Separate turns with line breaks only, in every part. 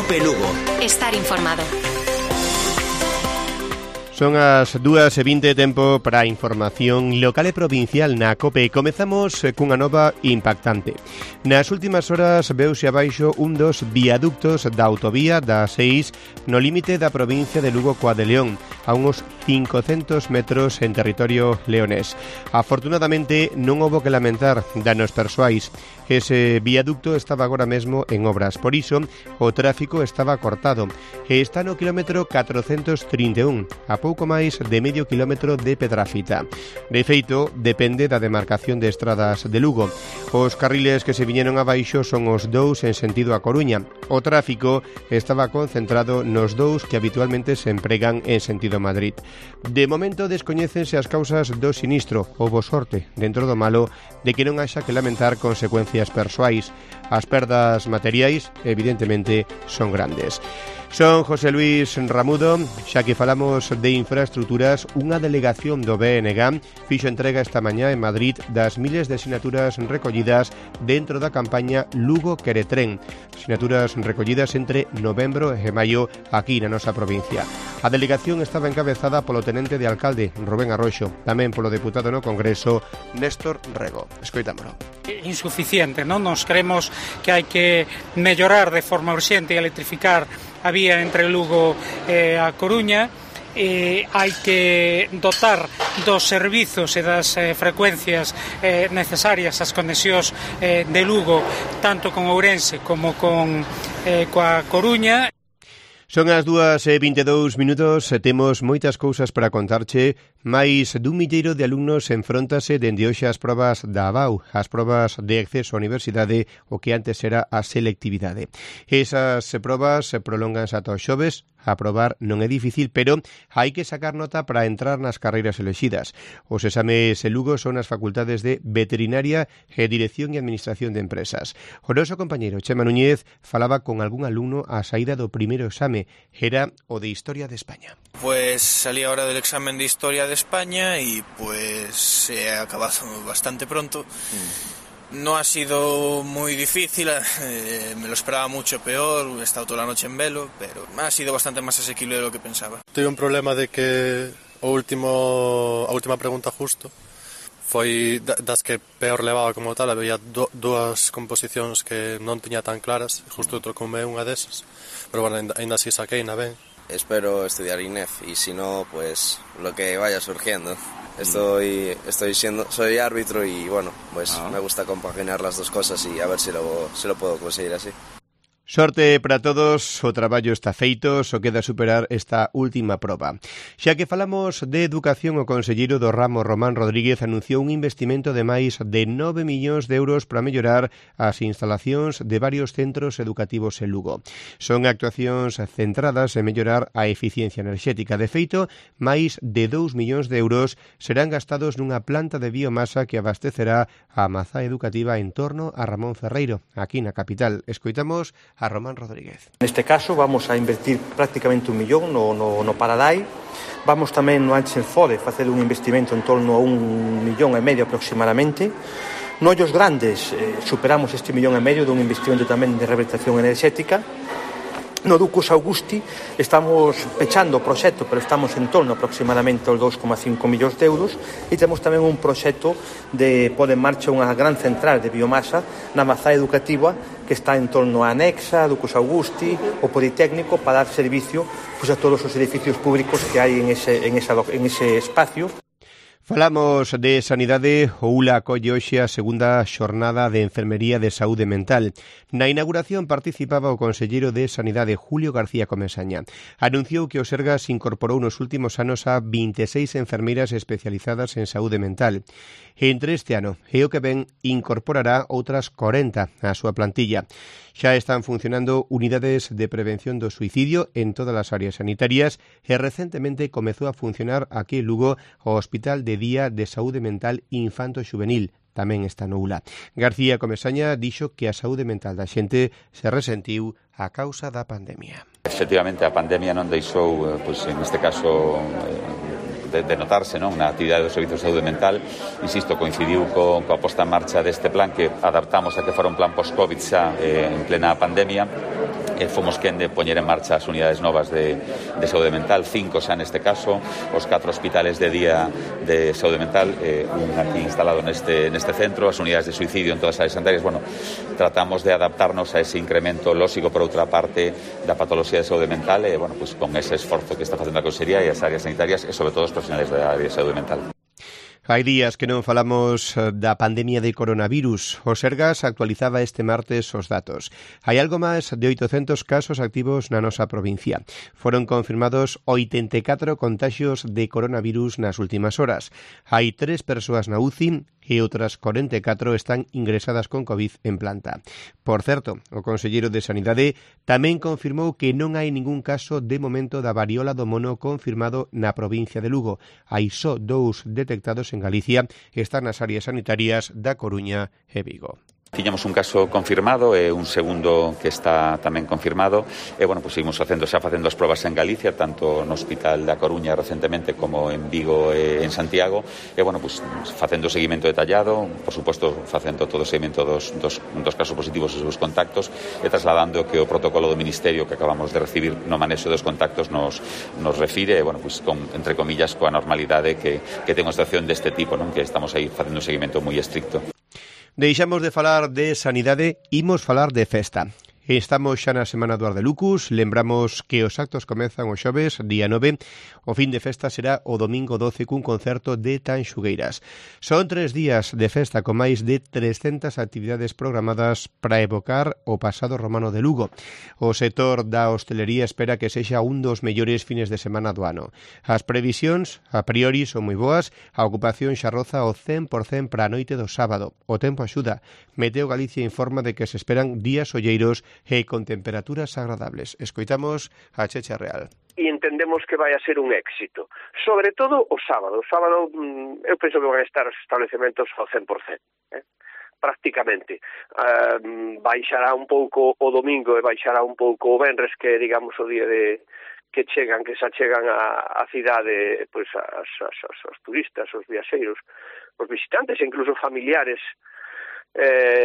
COPE Lugo.
Estar informado.
Son as 2:20, tempo para a información local e provincial na COPE. Comezamos cunha nova impactante. Nas últimas horas veuse abaixo un dos viaductos da autovía da 6 no límite da provincia de Lugo coa de León, a uns 500 metros en territorio leonés. Afortunadamente non houbo que lamentar danos persoais. Ese viaducto estaba agora mesmo en obras, por iso o tráfico estaba cortado e está no quilómetro 431, a pouco máis de medio quilómetro de Pedrafita. De feito, depende da demarcación de estradas de Lugo. Os carriles que se viñeron abaixo son os dous en sentido a Coruña. O tráfico estaba concentrado nos dous que habitualmente se empregan en sentido Madrid. De momento descoñécense as causas do sinistro. Houbo sorte, dentro do malo, de que non haxa que lamentar consecuencias persoais. As perdas materiais, evidentemente, son grandes. Son José Luis Ramudo. Xa que falamos de infraestructuras, unha delegación do BNG fixo entrega esta mañá en Madrid das miles de sinaturas recollidas dentro da campaña Lugo Quere Tren. Sinaturas recollidas entre novembro e maio aquí na nosa provincia. A delegación estaba encabezada polo tenente de alcalde Rubén Arroxo, tamén polo deputado no Congreso Néstor Rego. Escoitámolo.
Insuficiente, non? Nos creemos que hai que mellorar de forma urxente e electrificar a vía entre Lugo e a Coruña. Hai que dotar dos servizos e das frecuencias necesarias as conexións de Lugo tanto con Ourense como coa Coruña.
Son as 2:22 minutos e temos moitas cousas para contarche. Máis dun milleiro de alumnos enfróntase dende hoxe ás probas da ABAU, as probas de acceso á universidade, o que antes era a selectividade. Esas probas se prolongan ata os xoves. Aprobar non é difícil, pero hai que sacar nota para entrar nas carreiras elexidas. Os exames en Lugo son as facultades de Veterinaria e Dirección e Administración de Empresas. O noso compañeiro Chema Núñez falaba con algún alumno á saída do primeiro exame. Era o de Historia de España.
Pues salí ahora del examen de Historia de España y pues he acabado bastante pronto. No ha sido muy difícil, me lo esperaba mucho peor, he estado toda la noche en velo, pero ha sido bastante más asequible de lo que pensaba.
Tuve un problema de que a última pregunta justo foi das que peor levaba como tal, había dúas composicións que non tiña tan claras, justo trocoume unha desas, pero bueno, ainda así saquei na ben.
Espero estudiar INEF y si no, pues lo que vaya surgiendo. Soy árbitro y bueno, pues me gusta compaginar las dos cosas y a ver si lo puedo conseguir así.
Sorte para todos, o traballo está feito, só queda superar esta última proba. Xa que falamos de educación, o conselleiro do ramo Román Rodríguez anunciou un investimento de máis de 9 millóns de euros para mellorar as instalacións de varios centros educativos en Lugo. Son actuacións centradas en mellorar a eficiencia enerxética. De feito, máis de 2 millóns de euros serán gastados nunha planta de biomasa que abastecerá a mazá educativa en torno a Ramón Ferreiro, aquí na capital. Escoitamos a Román Rodríguez.
Neste caso vamos a invertir prácticamente 1 millón no Paradai. Vamos tamén no Anxenfode facer un investimento en torno a 1,5 millón aproximadamente. No Ollos Grandes superamos este 1,5 millón dun investimento tamén de rehabilitación enerxética. No Ducos Augusti estamos pechando o proxecto, pero estamos en torno aproximadamente aos 2,5 millóns de euros, e temos tamén un proxecto de pôr en marcha unha gran central de biomasa na mazá educativa que está en torno a Anexa, Ducos Augusti, o Politécnico, para dar servicio pues, a todos os edificios públicos que hai en ese espacio.
Falamos de sanidade. O ULA acolle hoxe a segunda xornada de enfermería de saúde mental. Na inauguración participaba o conselleiro de Sanidade, Julio García Comesaña. Anunciou que o Sergas incorporou nos últimos anos a 26 enfermeiras especializadas en saúde mental. Entre este ano e o que ven incorporará outras 40 á súa plantilla. Xa están funcionando unidades de prevención do suicidio en todas as áreas sanitarias e recentemente comezou a funcionar aquí en Lugo o Hospital de Día de Saúde Mental Infanto-Xuvenil. Tamén está no ULA. García Comesaña dixo que a saúde mental da xente se resentiu a causa da pandemia.
Efectivamente, a pandemia non deixou, neste caso, de notarse, non, na actividade do Servicio de Saúde Mental. Insisto, coincidiu coa posta en marcha deste plan que adaptamos a que fora un plan post-Covid xa en plena pandemia, fomos quen de poñer en marcha as unidades novas de saúde mental, 5 xa neste caso, os 4 hospitales de día de saúde mental, un aquí instalado neste centro, as unidades de suicidio en todas as áreas sanitarias. Bueno, tratamos de adaptarnos a ese incremento lóxico, por outra parte, da patoloxía de saúde mental, bueno, pues con ese esforzo que está facendo a Consellería e as áreas sanitarias e sobre todo os profesionales da área de saúde mental.
Hai días que non falamos da pandemia de coronavirus. O Sergas actualizaba este martes os datos. Hai algo máis de 800 casos activos na nosa provincia. Foron confirmados 84 contaxios de coronavirus nas últimas horas. Hai 3 persoas na UCI e outras 44 están ingresadas con COVID en planta. Por certo, o conselleiro de Sanidade tamén confirmou que non hai ningún caso de momento da variola do mono confirmado na provincia de Lugo. Hai só 2 detectados en Galicia e están nas áreas sanitarias da Coruña e Vigo.
Tiñamos un caso confirmado e un segundo que está tamén confirmado e, bueno, pues seguimos facendo as probas en Galicia, tanto no Hospital da Coruña recentemente como en Vigo e en Santiago e, bueno, pues facendo o seguimento detallado, por suposto facendo todo o seguimento dos casos positivos e os seus contactos e trasladando que o protocolo do Ministerio que acabamos de recibir no manexo dos contactos nos refire, bueno, pues entre comillas, coa normalidade que ten unha situación deste tipo, non? Que estamos aí facendo un seguimento moi estricto.
Deixamos de falar de sanidade, imos falar de festa. Estamos xa na semana do Ardelucus, lembramos que os actos comezan o xoves, día 9, o fin de festa será o domingo 12 cun concerto de Tanxugueiras. Son 3 días de festa con máis de 300 actividades programadas para evocar o pasado romano de Lugo. O sector da hostelería espera que sexa un dos mellores fines de semana do ano. As previsións, a priori, son moi boas, a ocupación xa roza o 100% para a noite do sábado. O tempo axuda. Meteo Galicia informa de que se esperan días olleiros e con temperaturas agradables. Escoitamos a Checha Real.
E entendemos que vai a ser un éxito. Sobre todo o sábado. O sábado eu penso que van a estar os establecementos ao 100%. Prácticamente. Baixará un pouco o domingo e baixará un pouco o venres, que digamos o día de que se achegan a cidade, pois os turistas, os viaxeiros, os visitantes e incluso familiares,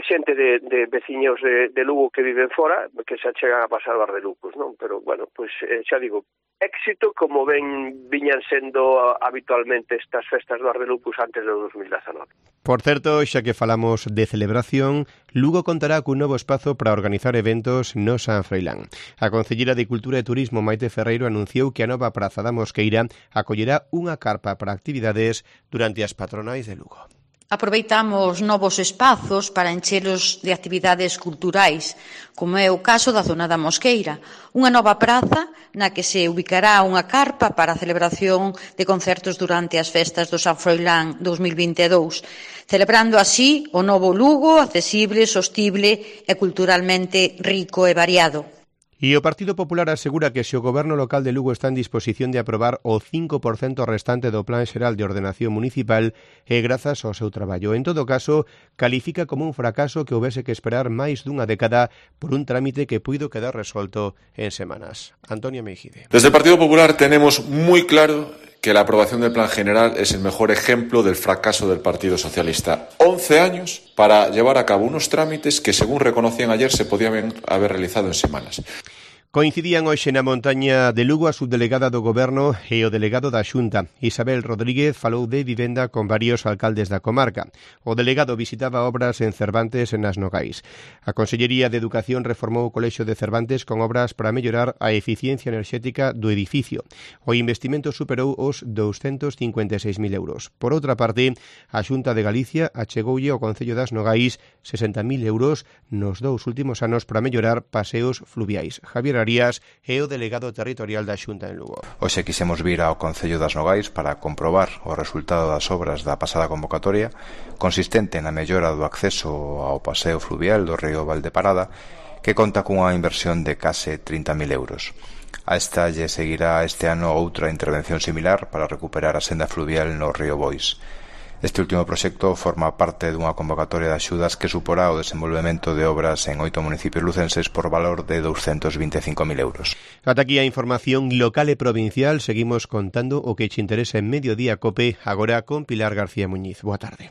xente de veciños de Lugo que viven fora, que se achegan a pasar o Ardelucus, non? Pero, bueno, pois xa digo, éxito como viñan sendo habitualmente estas festas do Ardelucus antes do 2019.
Por certo, xa que falamos de celebración, Lugo contará cun novo espazo para organizar eventos no San Froilán. A Concelleira de Cultura e Turismo, Maite Ferreiro, anunciou que a nova Praza da Mosqueira acollerá unha carpa para actividades durante as patronais de Lugo.
Aproveitamos novos espazos para enchelos de actividades culturais, como é o caso da zona da Mosqueira, unha nova praza na que se ubicará unha carpa para a celebración de concertos durante as festas do San Froilán 2022, celebrando así o novo Lugo accesible, sostible e culturalmente rico e variado.
E o Partido Popular asegura que se o Goberno local de Lugo está en disposición de aprobar o 5% restante do Plan Xeral de Ordenación Municipal e grazas ao seu traballo. En todo caso, califica como un fracaso que houvese que esperar máis dunha década por un trámite que puido quedar resolto en semanas. Antonio Meijide.
Desde el Partido Popular tenemos muy claro que la aprobación del Plan General es el mejor ejemplo del fracaso del Partido Socialista. 11 años para llevar a cabo unos trámites que, según reconocían ayer, se podían haber realizado en semanas.
Coincidían hoxe na montaña de Lugo a subdelegada do Goberno e o delegado da Xunta. Isabel Rodríguez falou de vivenda con varios alcaldes da comarca. O delegado visitaba obras en Cervantes e nas Nogais. A Consellería de Educación reformou o Colexio de Cervantes con obras para mellorar a eficiencia enerxética do edificio. O investimento superou os 256.000 euros. Por outra parte, a Xunta de Galicia achegoulle ao Concello das Nogais 60.000 euros nos 2 últimos anos para mellorar paseos fluviais. Javier Arías é o delegado territorial da Xunta en Lugo.
Hoxe quixemos vir ao Concello das Nogais para comprobar o resultado das obras da pasada convocatoria, consistente na mellora do acceso ao paseo fluvial do río Valdeparada, que conta cunha inversión de case 30.000 euros. A esta lle seguirá este ano outra intervención similar para recuperar a senda fluvial no río Bois. Este último proxecto forma parte dunha convocatoria de axudas que suporá o desenvolvemento de obras en 8 municipios lucenses por valor de 225.000 euros.
Ata aquí a información local e provincial. Seguimos contando o que che interesa en Mediodía Cope, agora con Pilar García Muñiz. Boa tarde.